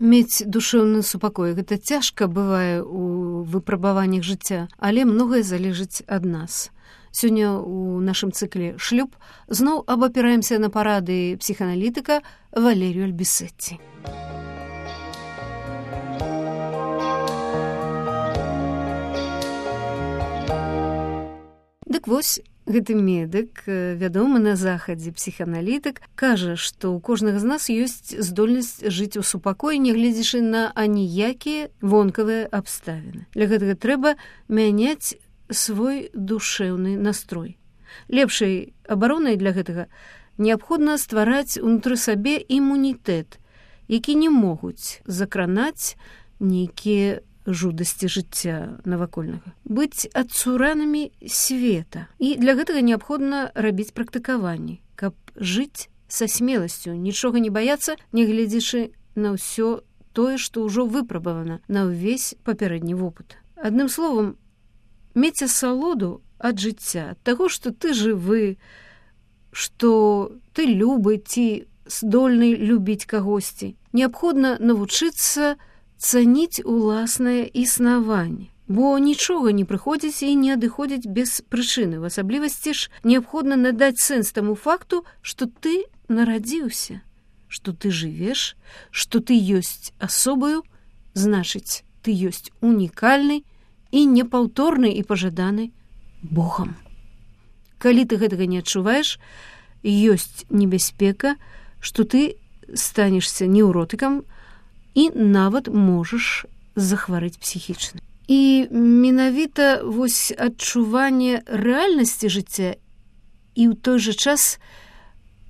Мець душэўны супакой гэта цяжка бывае ў выпрабаваннях жыцця, але многае залежыць ад нас. Сёння ў нашым цыкле шлюб зноў абапіраемся на парады псіхааналітыка Валерію Альбісетці. Дык вось, гэты медык, вядомы на захадзе псіхааналітык, кажа, што ў кожнага з нас ёсць здольнасць жыць у супакоі, нягледзячы на аніякія вонкавыя абставіны. Для гэтага трэба мяняць свой душэўны настрой. Лепшай абаронай для гэтага неабходна ствараць унутры сабе імунітэт, які не могуць закранаць нейкія жудасці жыцця навакольнага. Быць адцуранымі света. І для гэтага неабходна рабіць практыкаванні, каб жыць са смеласцю, нічога не баяцца, нягледзячы на ўсё тое, што ўжо выпрабавана на ўвесь папярэдні вопыт. Адным словам, мець асалоду ад жыцця, ад таго, што ты жывы, што ты любы ці здольны любіць кагосьці. Неабходна навучыцца цаніць уласнае існаванне, бо нічога не прыходзіць і не адыходзіць без прычыны. В асаблівасці ж неабходна надаць сэнс таму факту, што ты нарадзіўся, што ты жывеш, што ты ёсць асобаю, значыць, ты ёсць унікальны і непаўторны і пажаданы Богам. Калі ты гэтага не адчуваеш, ёсць небяспека, што ты станешся неўротыкам і нават можаш захварэць псіхічна. І менавіта вось адчуванне рэальнасці жыцця і ў той жа час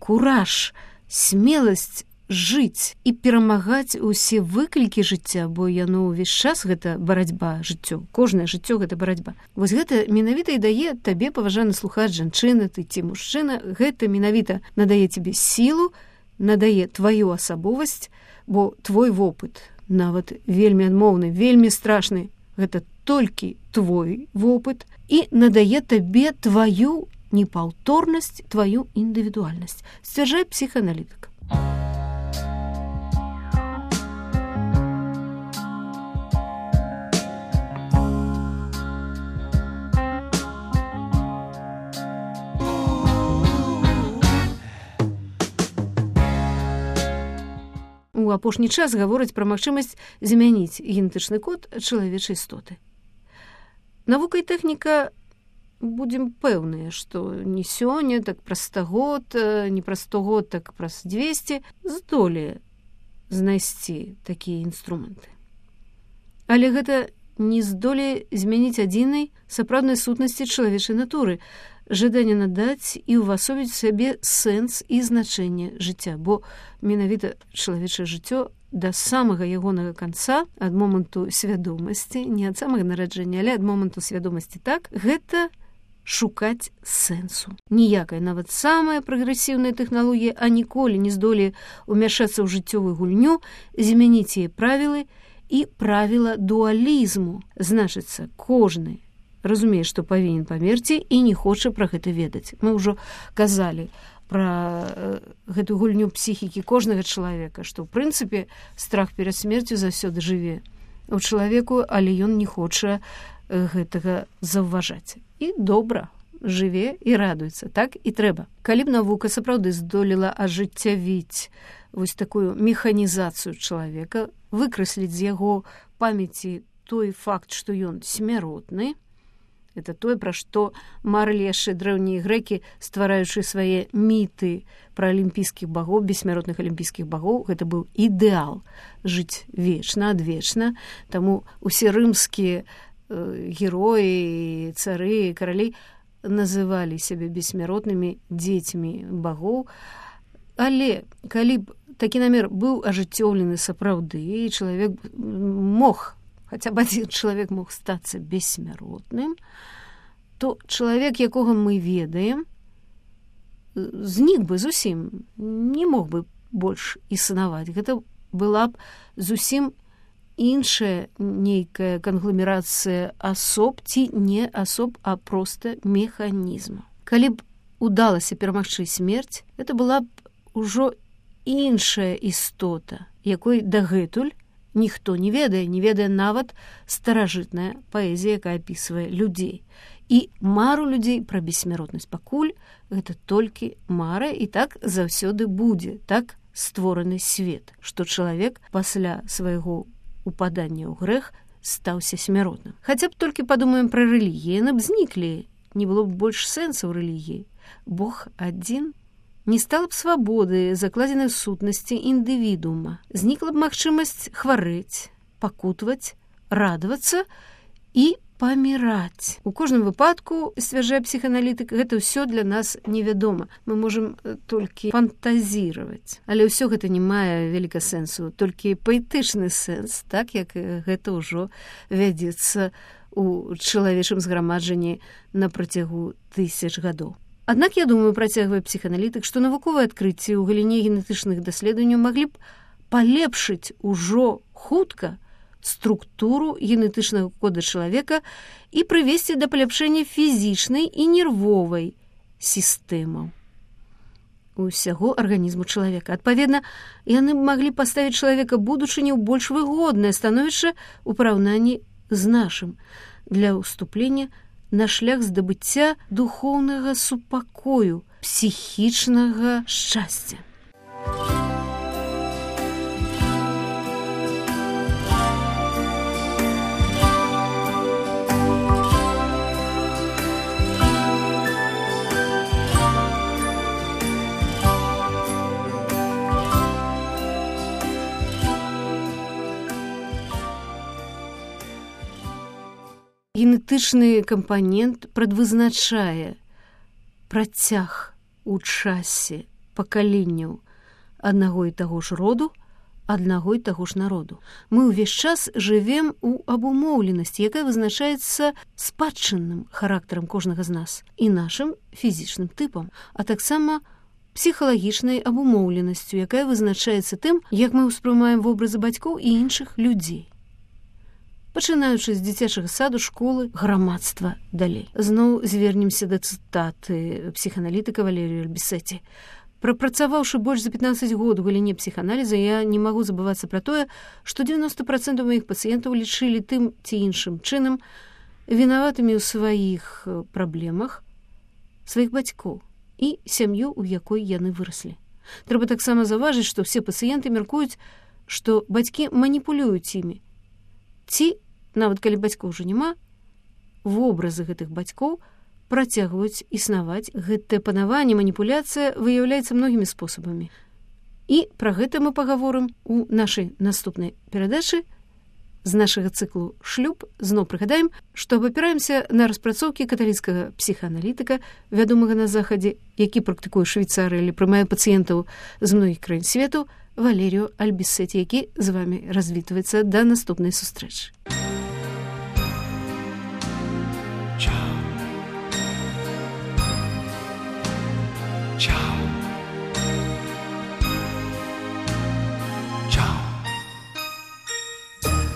кураж, смеласць жыць і перамагаць усе выклікі жыцця, бо яно ўвесь час гэта барацьба жыццё. Кожнае жыццё гэта барацьба. Вось гэта менавіта і дае табе, паважаны слухач, жанчына, ты ці мужчына, гэта менавіта надае тебе сілу, надае тваю асабовасць, бо твой вопыт, нават вельмі адмоўны, вельмі страшны, гэта толькі твой вопыт і надае табе тваю непаўторнасць, тваю індывідуальнасць, сцвярджае псіхааналітык. У апошні час гавораць пра магчымасць змяніць генетычны код чалавечай істоты. Навука і тэхніка, будзем пэўныя, што не сёння, так праз 100 год, не праз 100 год, так праз 200 здолее знайсці такія інструменты. Але гэта не здолее змяніць адзінай сапраўднай сутнасці чалавечай натуры, жаданне надаць і ўвасобіць сабе сэнс і значэнне жыцця, бо менавіта чалавечае жыццё да самага ягонага канца, ад моманту свядомасці, не ад самага нараджэння, але ад моманту свядомасці, так, гэта шукаць сэнсу. Ніякая, нават самая прагрэсіўная тэхналогія, а ніколі не здолее ўмяшацца ў жыццёвую гульню, змяніць яе правілы і правіла дуалізму. Значыцца, кожны разумее, што павінен памерці і не хоча пра гэта ведаць. Мы ўжо казалі пра гэту гульню псіхікі кожнага чалавека, што ў прынцыпе страх перад смерцю заўсёды жыве у чалавеку, але ён не хоча гэтага заўважаць. І добра жыве і радуецца, так і трэба. Калі б навука сапраўды здолела ажыццявіць вось такую механізацыю чалавека, выкрасліць з яго памяці той факт, што ён смяротны, это тое, пра што марылі яшчэ дрэўнія грэкі, ствараючы свае міты пра алімпійскіх багоў, бессмяротных алімпійскіх багоў. Гэта быў ідэал жыць вечна, адвечна. Таму усе рымскія героі, цары, каралі называлі сябе бессмяротнымі дзецьмі багоў. Але калі б такі намер быў ажыццёўлены сапраўды, і чалавек мог, хаця б адзін чалавек мог стацца бессмяротным, то чалавек, якога мы ведаем, знік бы зусім, не мог бы больш існаваць. Гэта была б зусім іншая нейкая кангломерацыя асоб, ці не асоб, а проста механізму. Калі б удалася перамагчы смерць, гэта была б ужо іншая істота, якой дагэтуль ніхто не ведае нават старажытная паэзія, якая апісвае людзей. І мару людзей пра бессмяротнасць пакуль гэта толькі мара, і так заўсёды будзе, так створаны свет, што чалавек пасля свайго упадання ў грэх стаўся смяротным. Хаця б толькі падумаем пра рэлігіі, яны б зніклі, не было б больш сэнсу ў рэлігіі. Бог адзін, не стала б свабоды, закладзенай сутнасці індывідуума, знікла б магчымасць хварэць, пакутваць, радавацца і паміраць. У кожным выпадку, сцвярджае псіханалітык, гэта ўсё для нас невядома. Мы можам толькі фантазіраваць. Але ўсё гэта не мае вяліка сэнсу, толькі паэтычны сэнс, так як гэта ўжо вядзецца у чалавечым зграмаджанні на працягу тысяч гадоў. Аднак, я думаю, працягвае псіханалітык, што навуковыя адкрыцці ў галіне генетычных даследаванняў маглі б палепшыць ужо хутка структуру генетычнага кода чалавека і прывесці да паляпшэння фізічнай і нервовай сістэмаў усяго арганізму чалавека. Адпаведна, яны б маглі паставіць чалавека будучыню ў больш выгоднае становішча ў параўнанні з нашым для ўступлення на шлях здабыцця духоўнага супакою, псіхічнага шчасця. Генетычны кампанент прадвызначае працяг у часе пакаленняў аднаго і таго ж роду, аднаго і таго ж народу. Мы ўвесь час жывем у абумоўленасці, якая вызначаецца спадчынным характарам кожнага з нас і нашым фізічным тыпам, а таксама псіхалагічнай абумоўленасцю, якая вызначаецца тым, як мы ўспрымаем вобразы бацькоў і іншых людзей. Пачынаючы з дзіцячага саду, школы, грамадства далей. Зноў звернемся да цытаты псіханалітыка Валерію Альбісеці. Прапрацаваўшы больш за 15 год у галіне псіханаліза, я не магу забывацца пра тое, што 90% маіх пацыентаў лічылі тым ці іншым чынам вінаватымі ў сваіх праблемах сваіх бацькоў і сям'ю, у якой яны выраслі. Трэба таксама заўважыць, што ўсе пацыенты мяркуюць, што бацькі маніпулююць імі. Ці, нават калі бацькоў ўжо няма, вобразы гэтых бацькоў працягваюць існаваць. Гэтае панаванне, маніпуляцыя выяўляецца многімі спосабамі. І пра гэта мы пагаворым у нашай наступнай перадачы з нашага цыклу «Шлюб». Зноў прыгадаем, што абапіраемся на распрацоўкі каталіцкага псіхааналітыка, вядомага на Захадзе, які практыкуе Швейцарыі или прымае пацыентаў з многіх краін свету, Валерію Альбісеці, які з вами развітваецца да наступнай сустрэчы. Ciao.